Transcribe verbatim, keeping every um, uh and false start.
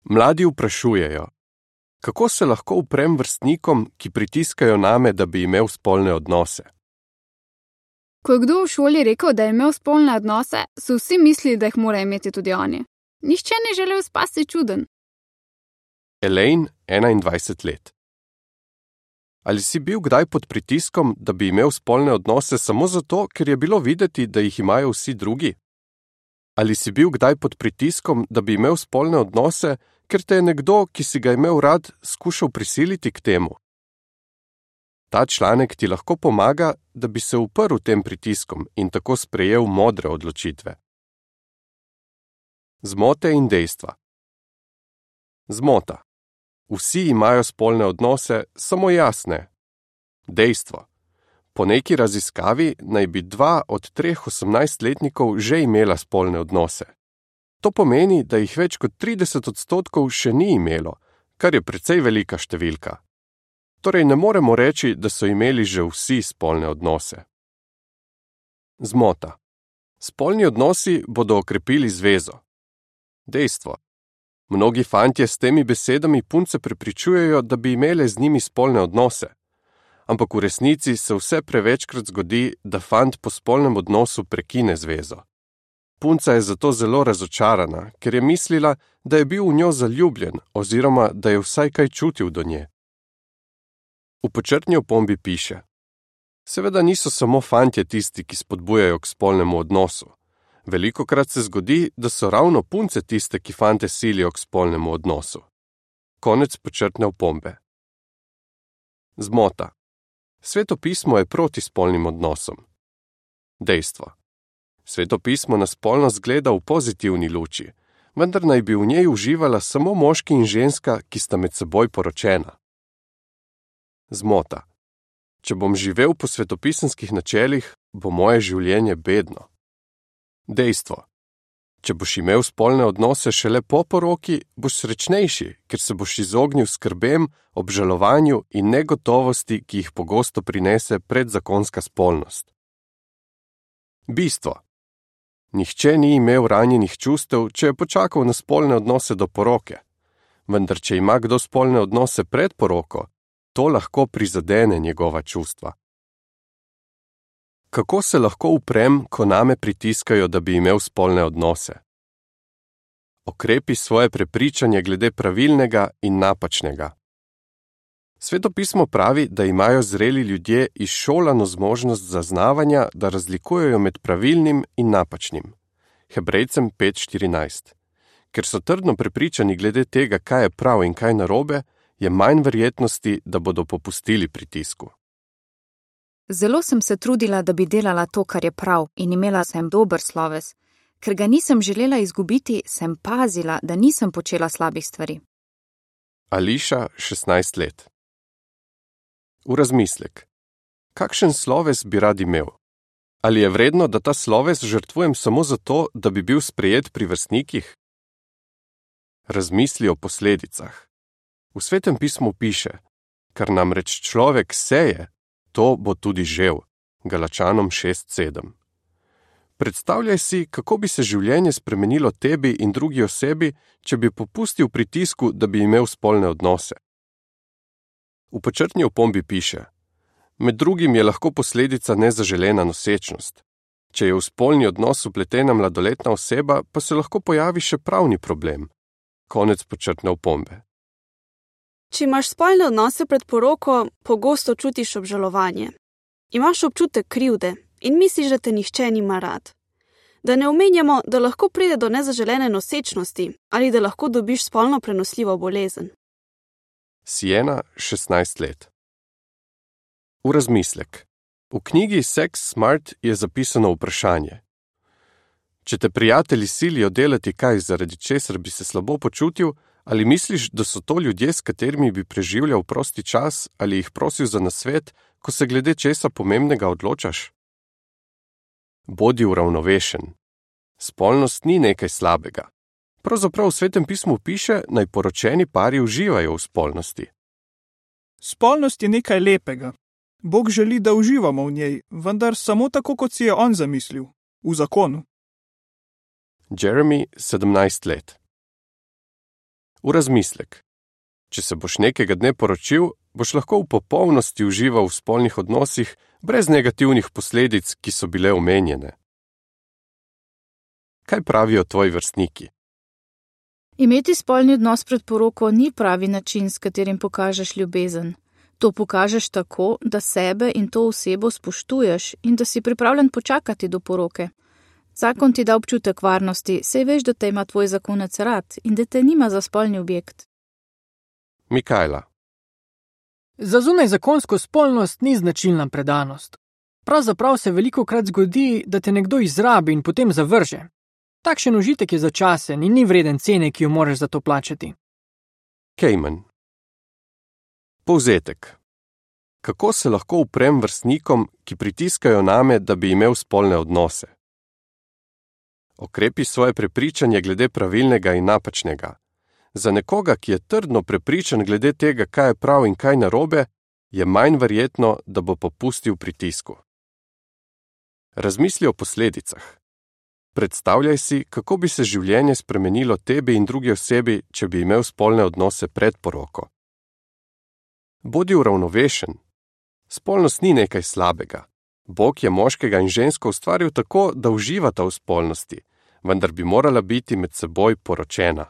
Mladi vprašujejo, kako se lahko uprem vrstnikom, ki pritiskajo name, da bi imel spolne odnose? Ko je kdo v šoli rekel, da je imel spolne odnose, so vsi mislili, da jih mora imeti tudi oni. Nihče ni želel spasti čuden. Elaine, enaindvajset let. Ali si bil kdaj pod pritiskom, da bi imel spolne odnose samo zato, ker je bilo videti, da jih imajo vsi drugi? Ali si bil kdaj pod pritiskom, da bi imel spolne odnose, ker te je nekdo, ki si ga imel rad, skušal prisiliti k temu? Ta članek ti lahko pomaga, da bi se uprl tem pritiskom in tako sprejel modre odločitve. Zmote in dejstva. Zmota. Vsi imajo spolne odnose, samo jaz ne. Dejstvo. Po neki raziskavi naj bi dva od treh osemnajstletnikov že imela spolne odnose. To pomeni, da jih več kot trideset odstotkov še ni imelo, kar je precej velika številka. Torej ne moremo reči, da so imeli že vsi spolne odnose. Zmota. Spolni odnosi bodo okrepili zvezo. Dejstvo. Mnogi fantje s temi besedami punce prepričujejo, da bi imele z njimi spolne odnose. Ampak v resnici se vse prevečkrat zgodi, da fant po spolnem odnosu prekine zvezo. Punca je zato zelo razočarana, ker je mislila, da je bil v njo zaljubljen oziroma da je vsaj kaj čutil do nje. V počrtni opombi piše: Seveda niso samo fantje tisti, ki spodbujajo k spolnemu odnosu. Velikokrat se zgodi, da so ravno punce tiste, ki fante silijo k spolnemu odnosu. Konec počrtne opombe. Zmota. Sveto pismo je proti spolnim odnosom. Dejstvo. Sveto pismo na spolnost gleda v pozitivni luči, vendar naj bi v njej uživala samo moški in ženska, ki sta med seboj poročena. Zmota. Če bom živel po svetopisemskih načelih, bo moje življenje bedno. Dejstvo. Če boš imel spolne odnose šele po poroki, boš srečnejši, ker se boš izognil skrbem, obžalovanju in negotovosti, ki jih pogosto prinese predzakonska spolnost. Bistvo. Nihče ni imel ranjenih čustev, če je počakal na spolne odnose do poroke. Vendar če ima kdo spolne odnose pred poroko, to lahko prizadene njegova čustva. Kako se lahko uprem, ko name pritiskajo, da bi imel spolne odnose? Okrepi svoje prepričanje glede pravilnega in napačnega. Sveto pismo pravi, da imajo zreli ljudje izšolano zmožnost zaznavanja, da razlikujejo med pravilnim in napačnim. Hebrejcem pet štirinajst. Ker so trdno prepričani glede tega, kaj je prav in kaj narobe, je manj verjetnosti, da bodo popustili pritisku. Zelo sem se trudila, da bi delala to, kar je prav, in imela sem dober sloves. Ker ga nisem želela izgubiti, sem pazila, da nisem počela slabih stvari. Ališa, šestnajst let. V razmislek. Kakšen sloves bi rad imel? Ali je vredno, da ta sloves žrtvujem samo zato, da bi bil sprejet pri vrstnikih? Razmisli o posledicah. V Svetem pismu piše: Kar namreč človek seje, to bo tudi žel. Galačanom šest sedem. Predstavljaj si, kako bi se življenje spremenilo tebi in drugi osebi, če bi popustil pritisku, da bi imel spolne odnose. V počrtni opombi piše: Med drugim je lahko posledica nezaželena nosečnost. Če je v spolni odnos vpletena mladoletna oseba, pa se lahko pojavi še pravni problem. Konec počrtne opombe. Če imaš spolne odnose pred poroko, pogosto čutiš obžalovanje. Imaš občutek krivde in misliš, da te nihče nima rad. Da ne omenjamo, da lahko pride do nezaželene nosečnosti ali da lahko dobiš spolno prenosljivo bolezen. Siena, šestnajst let. V razmislek. V knjigi Sex Smart je zapisano vprašanje: Če te prijatelji silijo delati kaj, zaradi česar bi se slabo počutil, ali misliš, da so to ljudje, s katerimi bi preživljal prosti čas, ali jih prosil za nasvet, ko se glede česa pomembnega odločaš? Bodi uravnovešen. Spolnost ni nekaj slabega. Pravzaprav v Svetem pismu piše, naj poročeni pari uživajo v spolnosti. Spolnost je nekaj lepega. Bog želi, da uživamo v njej, vendar samo tako, kot si je on zamislil, v zakonu. Jeremy, sedemnajst let. V razmislek. Če se boš nekega dne poročil, boš lahko v popolnosti užival v spolnih odnosih brez negativnih posledic, ki so bile omenjene. Kaj pravijo tvoji vrstniki? Imeti spolni odnos pred poroko ni pravi način, s katerim pokažeš ljubezen. To pokažeš tako, da sebe in to osebo spoštuješ in da si pripravljen počakati do poroke. Zakon ti da občutek varnosti, saj veš, da te ima tvoj zakonec rad in da te nima za spolni objekt. Mikajla. Za zunajzakonsko spolnost ni značilna predanost. Pravzaprav se velikokrat zgodi, da te nekdo izrabi in potem zavrže. Takšen užitek je začasen in ni vreden cene, ki jo moraš za to plačati. Cayman. Povzetek. Kako se lahko uprem vrstnikom, ki pritiskajo name, da bi imel spolne odnose? Okrepi svoje prepričanje glede pravilnega in napačnega. Za nekoga, ki je trdno prepričan glede tega, kaj je prav in kaj narobe, je manj verjetno, da bo popustil pritisku. Razmisli o posledicah. Predstavljaj si, kako bi se življenje spremenilo tebi in drugi osebi, če bi imel spolne odnose pred poroko. Bodi uravnovešen. Spolnost ni nekaj slabega. Bog je moškega in žensko ustvaril tako, da uživata v spolnosti, vendar bi morala biti med seboj poročena.